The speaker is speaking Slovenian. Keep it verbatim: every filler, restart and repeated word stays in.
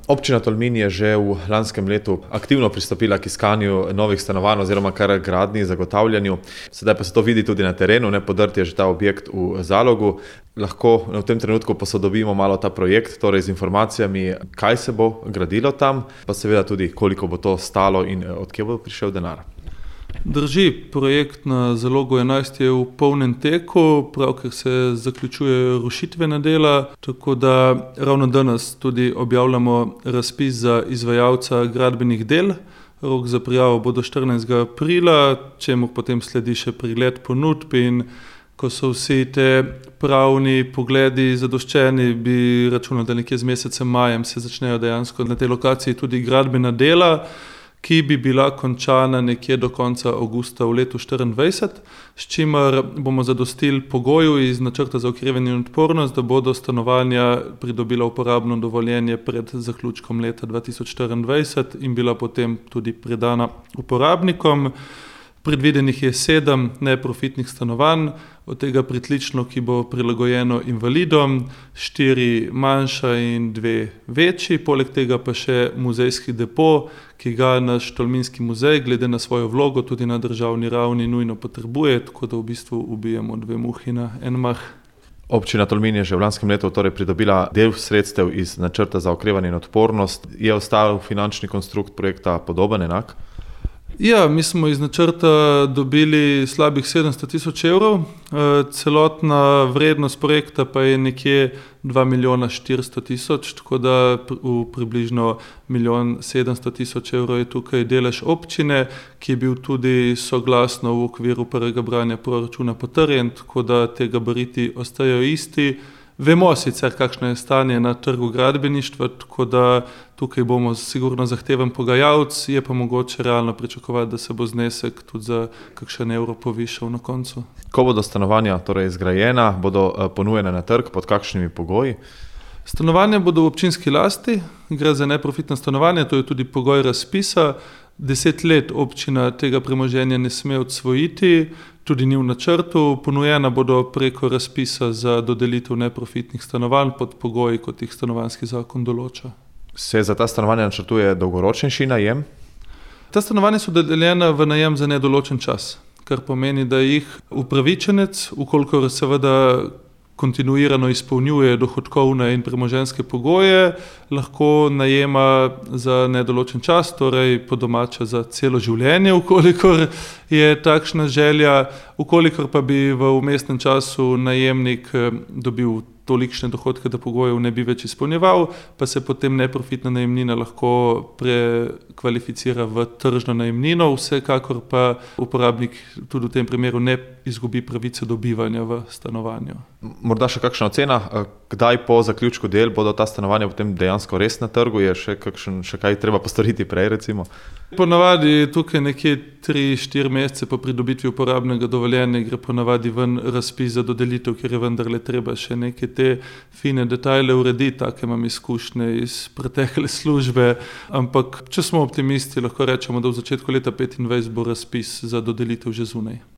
Občina Tolmin je že v lanskem letu aktivno pristopila k iskanju novih stanovanj oziroma kar gradnji, zagotavljanju. Sedaj pa se to vidi tudi na terenu, ne, podrt je že ta objekt v Zalogu. Lahko v tem trenutku posodobimo malo ta projekt, torej z informacijami, kaj se bo gradilo tam, pa seveda tudi, koliko bo to stalo in od kje bo prišel denar. Drži, projekt na Zalogu enajst je v polnem teku, pravkar se zaključuje rušitvena dela, tako da ravno danes tudi objavljamo razpis za izvajalca gradbenih del. Rok za prijavo bo do štirinajstega aprila, čemu potem sledi še pregled ponudb, in ko so vsi te pravni pogledi zadoščeni, bi računali, da nekje z mesecem majem se začnejo dejansko na tej lokaciji tudi gradbena dela, ki bi bila končana nekje do konca avgusta v letu štiriindvajset, s čimer bomo zadostili pogoju iz načrta za okrevanje in odpornost, da bodo stanovanja pridobila uporabno dovoljenje pred zaključkom leta dva tisoč štiriindvajset in bila potem tudi predana uporabnikom. Predvidenih je sedem neprofitnih stanovanj, od tega pritlično, ki bo prilagojeno invalidom, štiri manjša in dve večji, poleg tega pa še muzejski depo, ki ga naš Tolminski muzej glede na svojo vlogo tudi na državni ravni nujno potrebuje, tako da v bistvu ubijemo dve muhi na en mah. Občina Tolmin je že v lanskem letu torej pridobila del sredstev iz načrta za okrevanje in odpornost. Je ostal finančni konstrukt projekta podoben, enak? Ja, mi smo iz načrta dobili slabih sedemsto tisoč evrov, celotna vrednost projekta pa je nekje dva milijona štiristo tisoč, tako da v približno milijon sedemsto tisoč evrov je tukaj delež občine, ki je bil tudi soglasno v okviru prvega branja proračuna potrjen, tako da te gabariti ostajajo isti. Vemo sicer, kakšno je stanje na trgu gradbeništva, tako da tukaj bomo sigurno zahteven pogajalec, je pa mogoče realno pričakovati, da se bo znesek tudi za kakšen evro povišal na koncu. Ko bodo stanovanja torej zgrajena, bodo ponujene na trg, pod kakšnimi pogoji? Stanovanja bodo v občinski lasti, gre za neprofitna stanovanja, to je tudi pogoj razpisa. Deset let občina tega premoženja ne sme odsvojiti, tudi ni v načrtu, ponujena bodo preko razpisa za dodelitev neprofitnih stanovanj pod pogoji, kot jih stanovanjski zakon določa. Se za ta stanovanja načrtuje dolgoročnejši najem? Ta stanovanja so dodeljena v najem za nedoločen čas, kar pomeni, da jih upravičenec, ukolikor seveda kontinuirano izpolnjuje dohodkovne in premoženjske pogoje, lahko najema za nedoločen čas, torej po domače za celo življenje, ukolikor je takšna želja, ukolikor pa bi v vmesnem času najemnik dobil tolikšne dohodke, da pogojev ne bi več izpolnjeval, pa se potem neprofitna najemnina lahko prekvalificira v tržno najemnino, vsekakor pa uporabnik tudi v tem primeru ne izgubi pravice do bivanja v stanovanju. Morda še kakšna ocena, kdaj po zaključku del bodo ta stanovanja potem dejansko res na trgu, je še, kakšen, še kaj treba postoriti prej recimo? Ponavadi tukaj nekje tri štiri mesece po pridobitvi uporabnega dovoljenja gre ponavadi ven razpis za dodelitev, ker je vendarle treba še neke te fine detajle urediti, take imam izkušnje iz pretekle službe, ampak če smo optimisti, lahko rečemo, da v začetku leta petindvajset bo razpis za dodelitev že zunaj.